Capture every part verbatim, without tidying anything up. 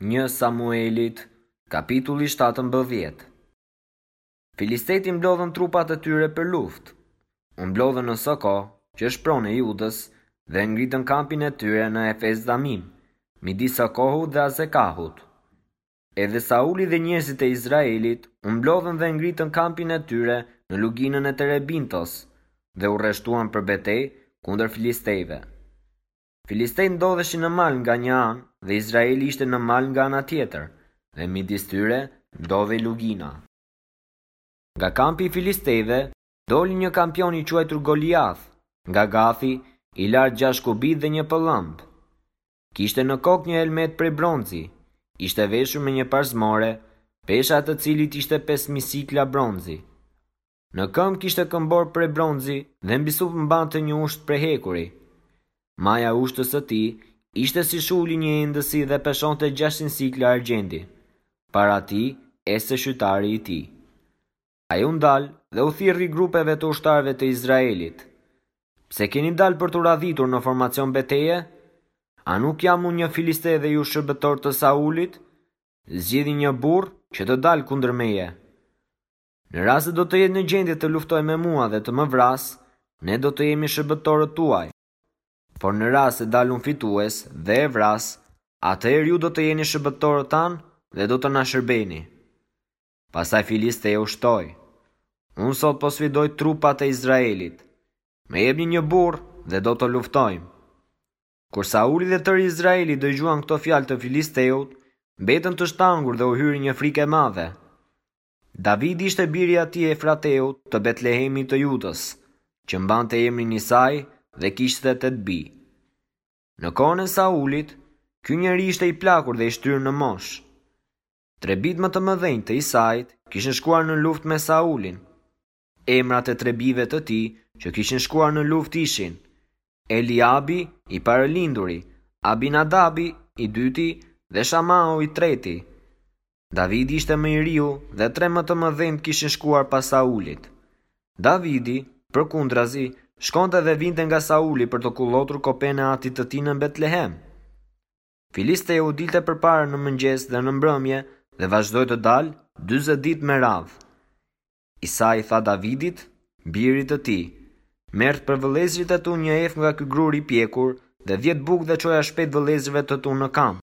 Një Samuelit, kapitulli shtatëmbëdhjetë. Filistejtë i mblodhën trupat e tyre për luftë. U mblodhën në Soko, që është pronë e Judës, dhe ngritën kampin e tyre në Efes Damim, midis Sokohut dhe Azekahut. Edhe Sauli dhe njerëzit e Izraelit u mblodhën dhe ngritën kampin e tyre në luginën e Terebintos dhe u rreshtuan për betejë kundër filistejve. Filistejtë ndodheshin në mal nga një anë dhe Izraeli ishte në mal nga ana tjetër, dhe midis tyre ndodhej lugina. Nga kampi i filistejve doli një kampion i quajtur Goliath, nga Gathi, i lartë gjashtë kubit dhe një pëllëmbë. Kishte në kokë një helmet prej bronzi, ishte veshur me një parzmore, pesha e të cilit ishte pesë mijë sikla bronzi. Në këmbë kishte këmbor prej bronzi dhe mbi sup mbante një ushtë prej hekuri. Maja e ushtës së tij ishte si shulli një endësi dhe peshonte gjashtëqind sikla argjendi. Para tij ecte shqytari i tij. Ai u ndal dhe u thirri grupeve të ushtarëve të Izraelit. Pse keni dalë për t'u radhitur në formacion beteje? A nuk jam unë një filiste dhe ju shërbëtor të Saulit? Zgjidhni një burrë që të dalë kundër meje. Në rast se do të jetë në gjendje të luftojë me mua dhe të më vrasë, ne do të jemi shërbëtorët tuaj. Por në rast se dal unë fitues dhe e vras, atëherë ju do të jeni shërbëtorët tanë dhe do të na shërbeni. Pastaj Filisteu shtoi: Unë sot po sfidoj trupat e Izraelit. Më jepni një burrë dhe do të luftojmë. Kur Sauli dhe tërë Izraeli dëgjuan këto fjalë të Filisteut, mbetën të shtangur dhe u hyri një frikë e madhe. Davidi ishte biri i atij Efrateut të Betlehemit të Judës, që mbante emrin Isai dhe kishte tetë bij. Në kohën e Saulit, ky njeri ishte i plakur dhe i shtyrë në moshë. Tre bijtë më të mëdhenj të Isait kishin shkuar në luftë me Saulin. Emrat e tre bijve të tij që kishin shkuar në luftë ishin Eliabi i parëlinduri, Abinadabi i dyti dhe Shamau i treti. Davidi ishte më i riu dhe tre më të mëdhenjtë kishin shkuar pas Saulit. Davidi, përkundrazi, shkonte dhe vinte nga Sauli për të kullotur kopenë e atit të tij në Betlehem. Filisteu dilte përpara në mëngjes dhe në mbrëmje dhe vazhdoi të dalë dyzet ditë me radhë. Isai tha Davidit, birit të tij: Merr për vëllezërit e tu një ef nga ky grur i pjekur dhe dhjetë bukë dhe çoja shpejt vëllezërve të tu në kamp.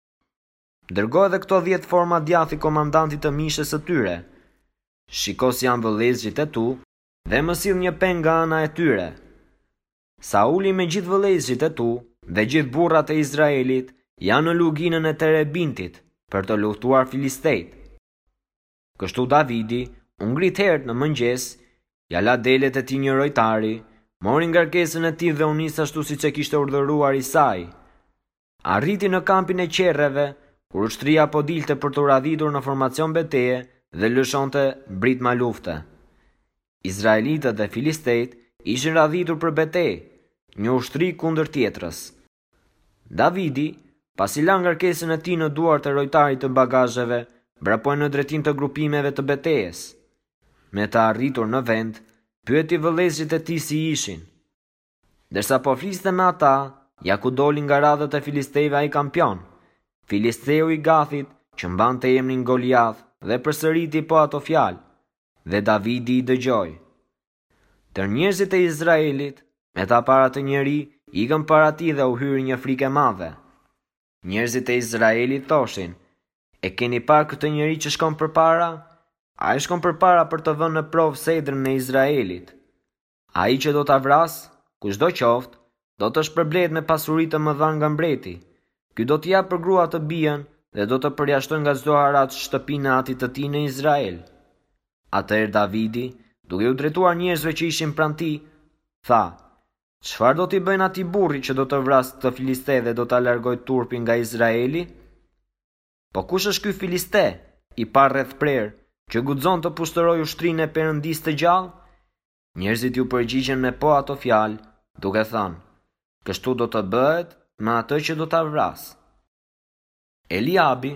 Dërgo edhe këto dhjetë forma djathi komandantit të mishës së tyre. Shiko si janë vëllezërit e tu dhe më sill një peng nga ana e tyre. Sauli me gjithë vëllezërit e tu dhe gjithë burrat e Izraelit janë në luginën e Terebintit për të luftuar filistejt. Kështu Davidi u ngrit herët në mëngjes, ja la delet e tij një rojtari, mori ngarkesën e tij dhe u nis ashtu siç e kishte urdhëruar Isai. Arriti në kampin e qerreve, kur ushtria po dilte për t'u radhitur në formacion beteje dhe lëshonte britma lufte. Izraelitët dhe filistejt ishin radhitur për betejë, një ushtri kundër tjetrës. Davidi, pasi la ngarkesën e tij në duart e rojtarit të bagazheve, vrapoi në drejtim të grupimeve të betejës. Me të arritur në vend, pyeti vëllezërit e tij si ishin. Ndërsa po fliste me ata, ja ku doli nga radhët e filistejve ai kampion, Filisteu i Gathit, që mbante emrin Goliath, dhe përsëriti po ato fjalë, dhe Davidi i dëgjoi. Tër njerëzit e Izraelit, me ta para të njeri, ikën para tij dhe u hyri një frikë e madhe. Njerëzit e Izraelit thoshin: E keni parë këtë njeri që shkon përpara? Ai shkon përpara për të vënë në provë sedrën e Izraelit. Ai që do ta vrasë, kushdo qoftë, do të shpërblehet me pasuri të mëdha nga mbreti. Ky do t'i japë për grua të bijën dhe do të përjashtojë nga çdo haraç shtëpinë e atit të tij në Izrael. Atëherë Davidi, duke u drejtuar njerëzve që ishin pranë tij, tha: Çfarë do t'i bëjnë atij burri që do të vrasë këtë filiste dhe do ta largojë turpin nga Izraeli? Po kush është ky filiste, i parë rreth prerë, që guxon të pushtorojë ushtrinë e Perëndisë të gjallë? Njerëzit ju përgjigjen me po ato fjalë, duke thënë: Kështu do të bëhet me atë që do ta vrasë. Eliabi,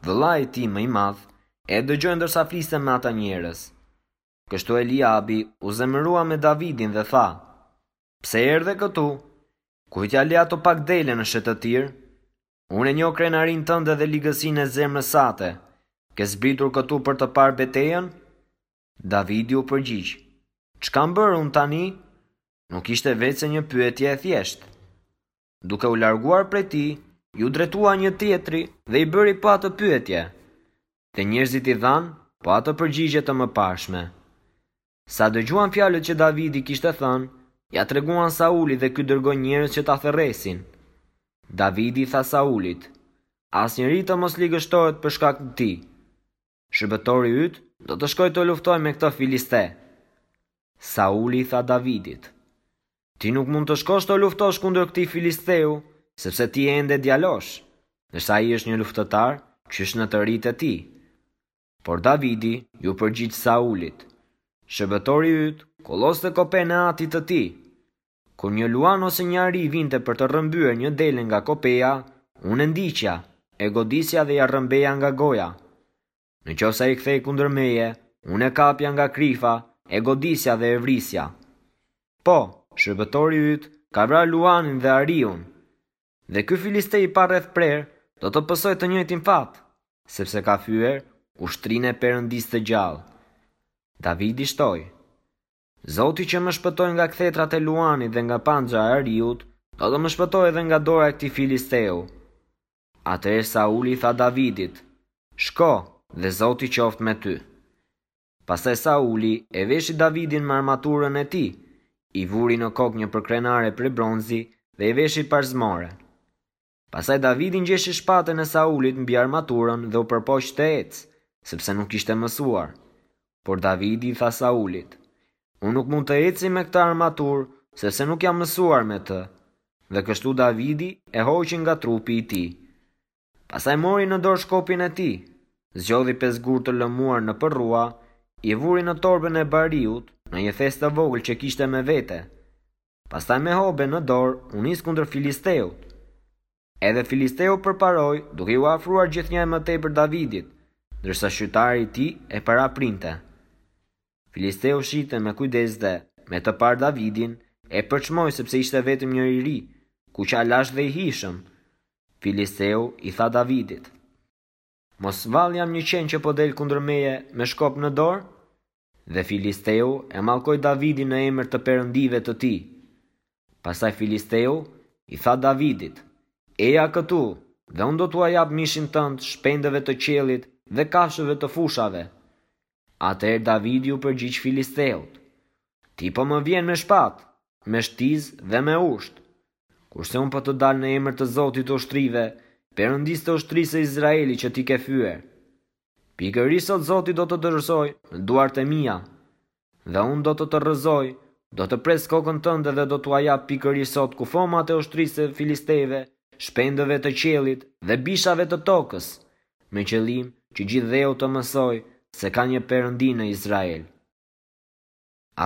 vëllai i tij më i madh, e dëgjoi ndërsa fliste me ata njerëz. Kështu Eliabi u zemërua me Davidin dhe tha: Pse erdhe këtu? Kujt ja le ato pak dele në shëtëtirë? Unë e njoh krenarinë tënde dhe ligësinë e zemrës sate. Ke zbritur këtu për të parë betejën? Davidi u përgjigj: Ç'kam bërë unë tani? Nuk ishte veçse një pyetje e thjeshtë. Duke u larguar prej tij, iu drejtua një tjetri dhe i bëri po atë pyetje. Dhe njerëzit i dhanë po atë përgjigje të mëparshme. Sa dëgjuan fjalët që Davidi kishte thënë, ia treguan Saulit dhe ky dërgoi njerëz që ta thërresin. Davidi i tha Saulit: Asnjeri të mos ligështohet për shkak të tij. Shërbëtori yt do të shkojë të luftojë me këtë filiste. Sauli i tha Davidit: Ti nuk mund të shkosh të luftosh kundër këtij filisteu, sepse ti je ende djalosh, ndërsa ai është një luftëtar qysh në të ritë e tij. Por Davidi iu përgjigj Saulit: Shërbëtori yt kulloste kopenë e atit të tij. Kur një luan ose një ari vinte për të rrëmbyer një dele nga kopeja, unë e ndiqja, e godisja dhe ia rrëmbeja nga goja. Në qoftë se ai kthehej kundër meje, unë e kapja nga krifa, e godisja dhe e vrisja. Po, shërbëtori yt ka vrarë luanin dhe ariun. Dhe ky filiste i parrethprerë do të pësojë të njëjtin fat, sepse ka fyer ushtrinë e Perëndisë të gjallë. Davidi shtoi: Zoti që më shpëtoi nga kthetrat e luanit dhe nga panxha e ariut, do të më shpëtojë edhe nga dora e këtij filisteu. Atëherë Sauli i tha Davidit: Shko, dhe Zoti qoftë me ty. Pastaj Sauli e veshi Davidin me armaturën e tij, i vuri në kokë një përkrenare prej bronzi dhe i veshi parzmore. Pastaj Davidi ngjeshi shpatën e Saulit mbi armaturën dhe u përpoq të ecë, sepse nuk ishte mësuar. Por Davidi i tha Saulit: Unë nuk mund të eci me këtë armaturë, sepse nuk jam mësuar me të. Dhe kështu Davidi e hoqi nga trupi i tij. Pastaj mori në dorë shkopin e tij, zgjodhi pesë gurë të lëmuar në përrua, i vuri në torbën e bariut, në një thes të vogël që kishte me vete. Pastaj me hobe në dorë u nis kundër Filisteut. Edhe Filisteu përparoi, duke iu afruar gjithnjë e më tepër Davidit, ndërsa shqytari i tij e paraprinte. Filisteu shihte me kujdes dhe, me të parë Davidin, e përçmoi sepse ishte vetëm një i ri, kuqalash dhe i hijshëm. Filisteu i tha Davidit: Mos vallë jam një qen që po del kundër meje me shkop në dorë? Dhe Filisteu e mallkoi Davidin në emër të perëndive të tij. Pastaj Filisteu i tha Davidit: Eja këtu, dhe unë do t'ua jap mishin tënd shpendëve të qiellit dhe kafshëve të fushave. Atëherë Davidi u përgjigj Filisteut: Ti po më vjen me shpatë, me shtizë dhe me ushtë, kurse unë po të dal në emër të Zotit të ushtrive, Perëndisë të ushtrisë së Izraelit që ti ke fyer. Pikërisht sot Zoti do të dorëzojë në duart e mia, dhe unë do të të rrëzoj, do të pres kokën tënde dhe do t'ua jap pikërisht sot kufomat e ushtrisë së Filistejve, shpendëve të qiellit dhe bishave të tokës, me qëllim që gjithë dheu të mësojë se ka një perëndi në Izrael.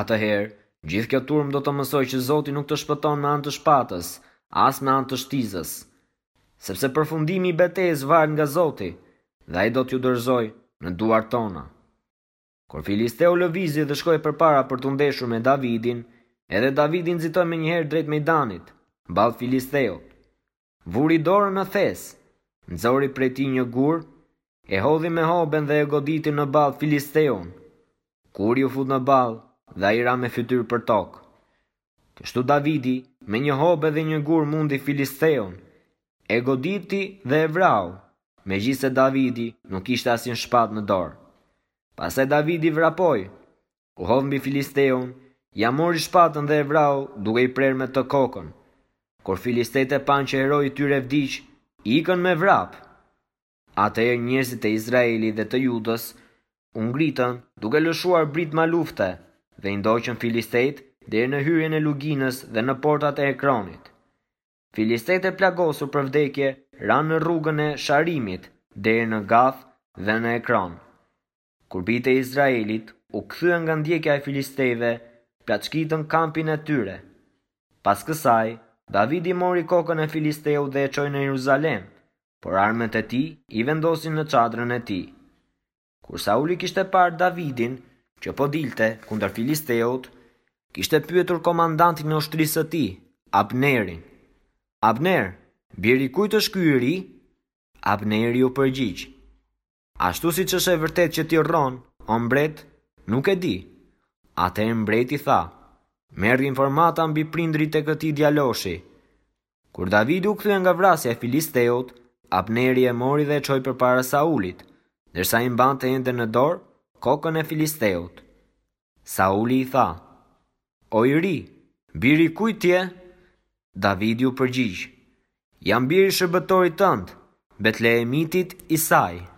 Atëherë, gjithë kjo turmë do të mësojë që Zoti nuk të shpëton me anë të shpatës, as me anë të shtizës, sepse përfundimi i betejës varet nga Zoti, dhe ai do t'ju dorëzojë në duart tona. Kur Filisteu lëvizi dhe shkoi përpara për t'u ndeshur me Davidin, edhe Davidi nxitoi menjëherë drejt Mejdanit, ballë Filisteut. Vuri dorën në thes, nxori prej tij një gur, e hodhi me hoben dhe e goditi në ballë Filisteun. Guri u fut në ballë dhe ai ra me fytyrë për tokë. Kështu Davidi me një hobe dhe një gur mundi Filisteun, e goditi dhe e vrau, megjithëse Davidi nuk kishte asnjë shpatë në dorë. Pastaj Davidi vrapoi, u hodh mbi Filisteun, ia mori shpatën dhe e vrau duke i prerë me të kokën. Kur Filistejtë e panë që heroi i tyre vdiq, ikën me vrap. Atëherë njerëzit e Izraelit dhe të Judës u ngritën duke lëshuar britma lufte dhe i ndoqën Filistejt deri në hyrjen e luginës dhe në portat e Ekronit. Filistejt e plagosur për vdekje ranë në rrugën e Sharimit deri në Gath dhe në Ekron. Kur bijtë e Izraelit u kthyen nga ndjekja e Filistejve, plaçkitën kampin e tyre. Pas kësaj, Davidi mori kokën e Filisteut dhe e çoi në Jeruzalem, por armët e tij i vendosi në çadrën e tij. Kur Sauli kishte parë Davidin, që po dilte kundër Filisteut, kishte pyetur komandantin e ushtrisë së tij, Abnerin: Abner, Biri i kujt është ky i ri? Abneri u përgjigj: Ashtu siç është e vërtetë që ti rron, o mbret, nuk e di. Atëherë mbreti tha: Merr informata mbi prindërit e këtij djaloshi. Kur Davidi u kthye nga vrasja e Filisteut, Abneri e mori dhe e çoi përpara Saulit, ndërsa ai mbante ende në dorë kokën e Filisteut. Sauli i tha: O i ri, biri i kujt je? Davidi u përgjigj: Jam biri i shërbëtorit tënd, Betlehemitit Isai.